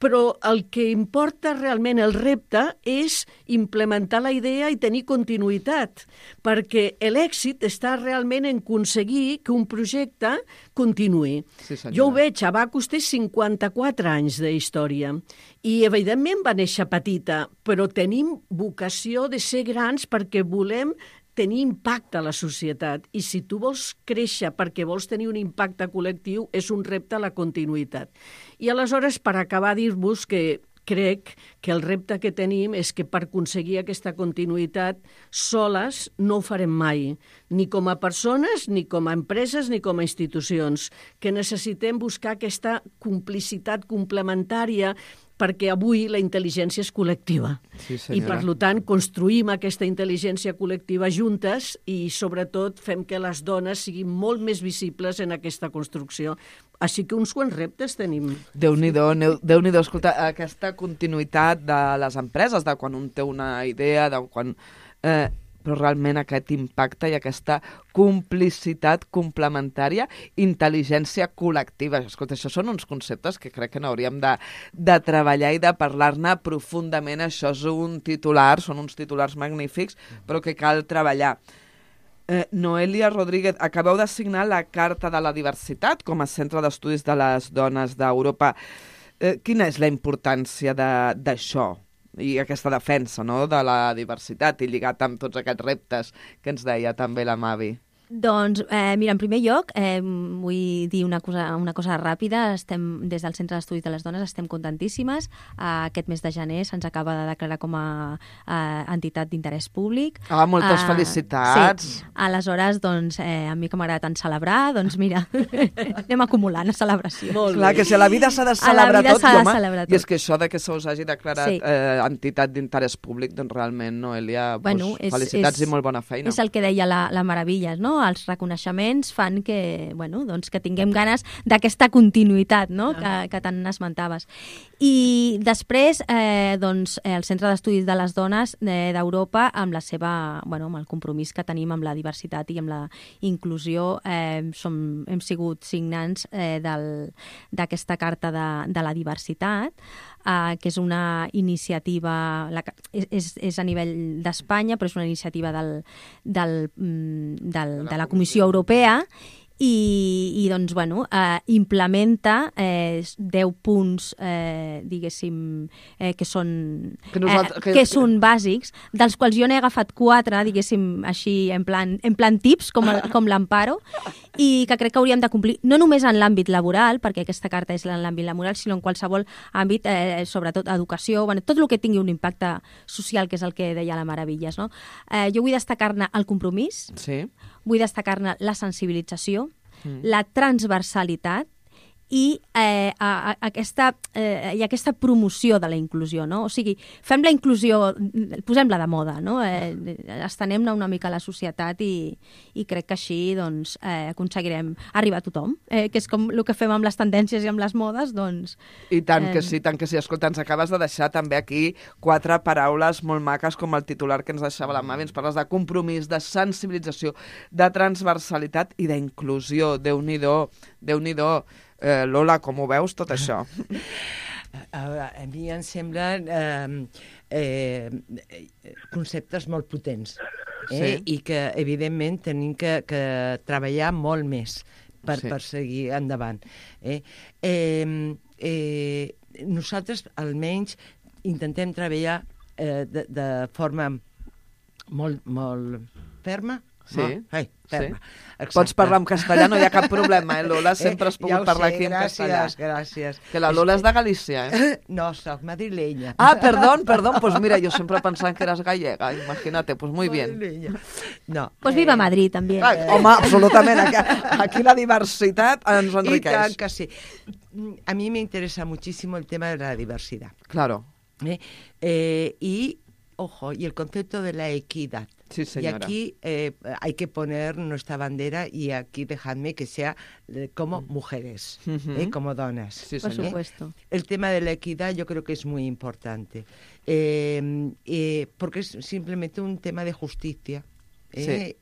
Però el que importa realment, el repte, és implementar la idea i tenir continuïtat, perquè l'èxit està realment en aconseguir que un projecte continuï. Sí, jo ho veig, Abacus té 54 anys d'història i, evidentment, va néixer petita, però tenim vocació de ser grans perquè volem tenir impacte a la societat. I si tu vols créixer perquè vols tenir un impacte col·lectiu, és un repte a la continuïtat. I aleshores, per acabar, dir-vos que crec que el repte que tenim és que per aconseguir aquesta continuïtat soles no ho farem mai, ni com a persones, ni com a empreses, ni com a institucions, que necessitem buscar aquesta complicitat complementària perquè avui la intel·ligència és col·lectiva. Sí, i, per tant, construïm aquesta intel·ligència col·lectiva juntes i, sobretot, fem que les dones siguin molt més visibles en aquesta construcció. Així que uns quants reptes tenim. Déu-n'hi-do, escolta, aquesta continuïtat de les empreses, de quan un té una idea, de quan... però realment aquest impacte i aquesta complicitat complementària, intel·ligència col·lectiva. Escolta, això són uns conceptes que crec que n'hauríem de treballar i de parlar-ne profundament. Això és un titular, són uns titulars magnífics, però que cal treballar. Noelia Rodríguez, acabeu de signar la Carta de la Diversitat com a Centre d'Estudis de les Dones d'Europa. Quina és la importància d'això i aquesta defensa, no?, de la diversitat i lligat amb tots aquests reptes que ens deia també la Mavi? Doncs, mira, en primer lloc, vull dir una cosa ràpida. Estem, des del Centre d'Estudis de les Dones, estem contentíssimes. Aquest mes de gener se'ns acaba de declarar com a entitat d'interès públic. Moltes felicitats! Sí. Aleshores, doncs, a mi que m'agrada tant celebrar, doncs mira, anem acumulant a celebració. Clar, que si a la vida s'ha de celebrar tot, home, i és que això de que se us hagi declarat entitat d'interès públic, doncs realment, Noelia, felicitats i molt bona feina. És el que deia la Maravillas, no? Els reconeixements fan que, doncs, que tinguem ganes d'aquesta continuïtat, no?, que tant esmentaves. I després, doncs, el Centre d'Estudis de les Dones d'Europa, amb la seva, amb el compromís que tenim amb la diversitat i amb la inclusió, hem sigut signants d'aquesta Carta de la Diversitat, que és una iniciativa, és a nivell d'Espanya, però és una iniciativa de la Comissió Europea, i doncs, implementa 10 punts, diguéssim, que són bàsics, dels quals jo n'he agafat 4, diguéssim, així, en plan tips, com l'Amparo, i que crec que hauríem de complir, no només en l'àmbit laboral, perquè aquesta carta és en l'àmbit laboral, sinó en qualsevol àmbit, sobretot educació, tot el que tingui un impacte social, que és el que deia la Maravillas, no? Jo vull destacar-ne el compromís, vull destacar-ne la sensibilització, la transversalitat i aquesta promoció de la inclusió, no? O sigui, fem la inclusió, posem-la de moda, no? Estenem-ne una mica a la societat i crec que així, doncs, aconseguirem arribar a tothom, que és com el que fem amb les tendències i amb les modes, doncs... I tant que sí, tant que sí. Escolta, ens acabes de deixar també aquí 4 paraules molt maques com el titular que ens deixava la Mavi. Ens parles de compromís, de sensibilització, de transversalitat i d'inclusió. Déu-n'hi-do, Déu-n'hi-do. Lola, com ho veus, tot això? A mi em semblen conceptes molt potents i que, evidentment, tenim que treballar molt més per seguir endavant. Nosaltres, almenys, intentem treballar de forma molt ferma. Ferma. Pots parlar en castellà, no hi ha cap problema, Lola? Sempre has pogut parlar aquí en castellà. Gràcies. Que la Lola és de Galícia, No, soc madrilenya. Perdón, pues mira, yo siempre pensaba que eras gallega, imagínate, pues muy bien. No. Pues viva Madrid, també. Home, absolutament, aquí la diversitat ens enriqueix. I tant que sí. A mí me interesa muchísimo el tema de la diversidad. Claro. Y, ojo, y el concepto de la equidad. Sí, señora. Y aquí hay que poner nuestra bandera y aquí dejadme que sea como mujeres, como donas. Sí, por supuesto. El tema de la equidad yo creo que es muy importante, porque es simplemente un tema de justicia.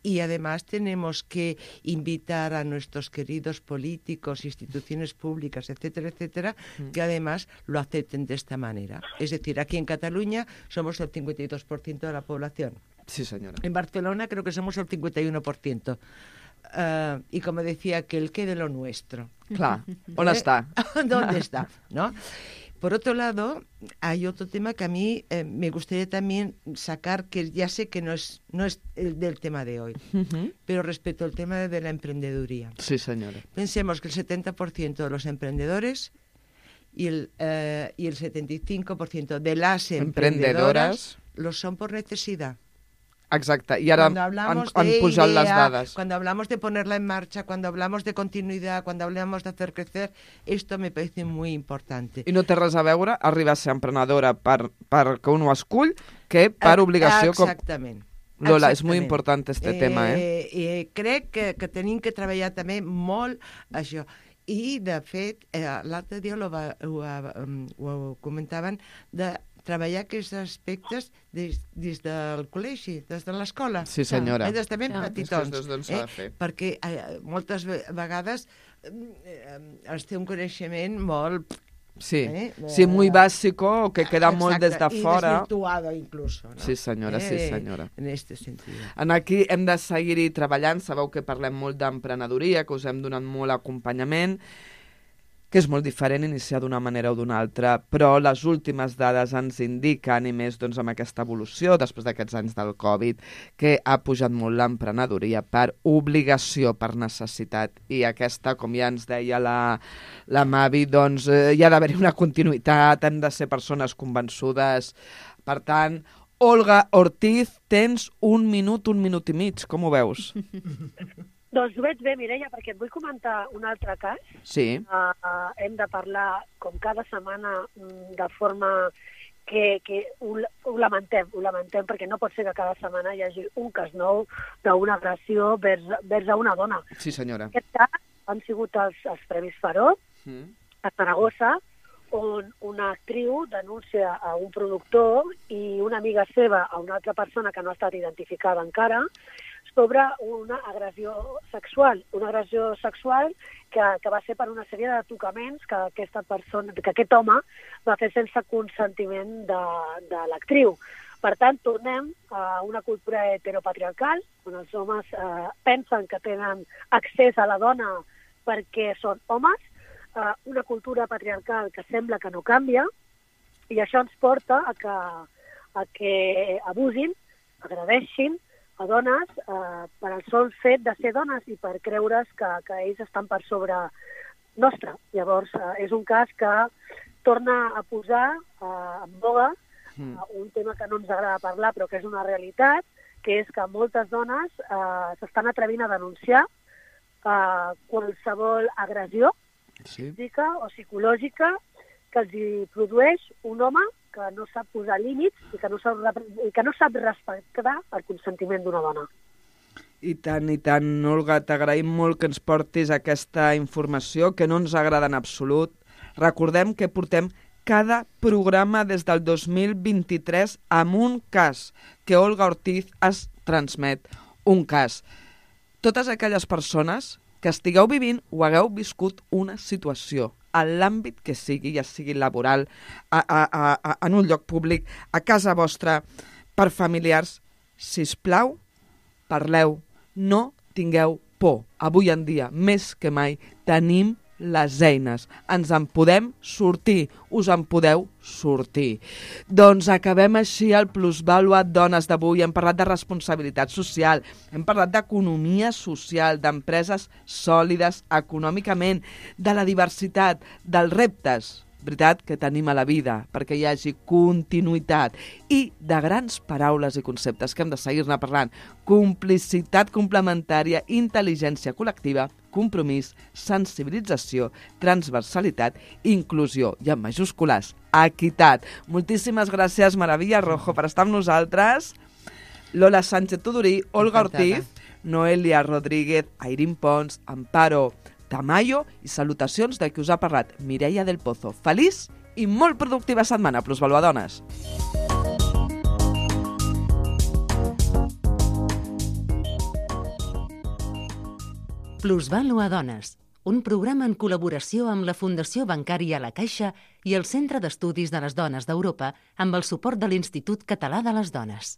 Y además tenemos que invitar a nuestros queridos políticos, instituciones públicas, etcétera, etcétera, que además lo acepten de esta manera. Es decir, aquí en Cataluña somos el 52% de la población. Sí, señora. En Barcelona creo que somos el 51%. Y como decía aquel, que de lo nuestro. Claro, ¿dónde está? ¿Dónde está? ¿No? Por otro lado, hay otro tema que a mí me gustaría también sacar, que ya sé que no es el del tema de hoy, pero respecto al tema de la emprendeduría. Sí, señora. Pensemos que el 70% de los emprendedores y el 75% de las emprendedoras lo son por necesidad. Exacte, i ara han pujat les dades. Cuando hablamos de ponerla en marcha, cuando hablamos de continuidad, cuando hablamos de hacer crecer, esto me parece muy importante. I no té res a veure arribar a ser emprenedora perquè un ho escull que per obligació. Exactament. Lola, és molt important este tema, crec que tenim que treballar també molt això. I, de fet, l'altre dia ho comentaven de treballar aquests aspectes des del col·legi, des de l'escola. Sí, senyora. Des de ben petitons. Perquè moltes vegades es té un coneixement molt Sí, sí, muy básico, que queda molt des de fora. I desvirtuado incluso, ¿no? Sí, senyora, sí, senyora. En este sentido. Aquí hem de seguir-hi treballant, sabeu que parlem molt d'emprenedoria, que us hem donat molt acompanyament, que és molt diferent iniciar d'una manera o d'una altra, però les últimes dades ens indiquen, i més doncs, amb aquesta evolució, després d'aquests anys del Covid, que ha pujat molt l'emprenedoria per obligació, per necessitat, i aquesta, com ja ens deia la Mavi, doncs hi ha d'haver-hi una continuïtat, hem de ser persones convençudes. Per tant, Olga Ortiz, tens un minut i mig, com ho veus? Doncs ho veig bé, Mireia, perquè et vull comentar un altre cas. Sí. Hem de parlar, com cada setmana, de forma que ho lamentem, perquè no pot ser que cada setmana hi hagi un cas nou d'una agressió vers a una dona. Sí, senyora. En aquest cas han sigut els Premis Faró, a Saragossa, on una actriu denuncia a un productor i una amiga seva a una altra persona que no ha estat identificada encara, sobre una agressió sexual que va ser per una sèrie de tocaments que aquest home va fer sense consentiment de l'actriu. Per tant, tornem a una cultura heteropatriarcal, on els homes pensen que tenen accés a la dona perquè són homes, una cultura patriarcal que sembla que no canvia, i això ens porta a que abusin, agredeixin a dones per al sol fet de ser dones i per creure's que ells estan per sobre nostre. Llavors, és un cas que torna a posar en boga un tema que no ens agrada parlar, però que és una realitat, que és que moltes dones s'estan atrevint a denunciar qualsevol agressió física o psicològica que els hi produeix un home que no sap posar límits i que no sap respectar el consentiment d'una dona. I tant, Olga, t'agraïm molt que ens portis aquesta informació, que no ens agrada en absolut. Recordem que portem cada programa des del 2023 amb un cas, que Olga Ortiz es transmet, un cas. Totes aquelles persones que estigueu vivint o hagueu viscut una situació en l'àmbit que sigui, ja sigui laboral, en un lloc públic, a casa vostra, per familiars, sisplau, parleu, no tingueu por. Avui en dia, més que mai, tenim les eines. Ens en podem sortir, us en podeu sortir. Doncs acabem així el Plusvàlua Dones d'avui. Hem parlat de responsabilitat social, hem parlat d'economia social, d'empreses sòlides econòmicament, de la diversitat, dels reptes, veritat, que tenim a la vida, perquè hi hagi continuïtat, i de grans paraules i conceptes que hem de seguir-ne parlant: complicitat complementària, intel·ligència col·lectiva, compromís, sensibilització, transversalitat, inclusió, i en majúscules, equitat. Moltíssimes gràcies, Maravilla Rojo, per estar amb nosaltres. Lola Sánchez Tudurí, Olga Ortiz, Noelia Rodríguez, Airín Pons, Amparo Tamayo, i salutacions de qui us ha parlat, Mireia del Pozo. Feliç i molt productiva setmana, Plusvàlua Dones. Plusvàlua Dones, un programa en col·laboració amb la Fundació Bancària La Caixa i el Centre d'Estudis de les Dones d'Europa amb el suport de l'Institut Català de les Dones.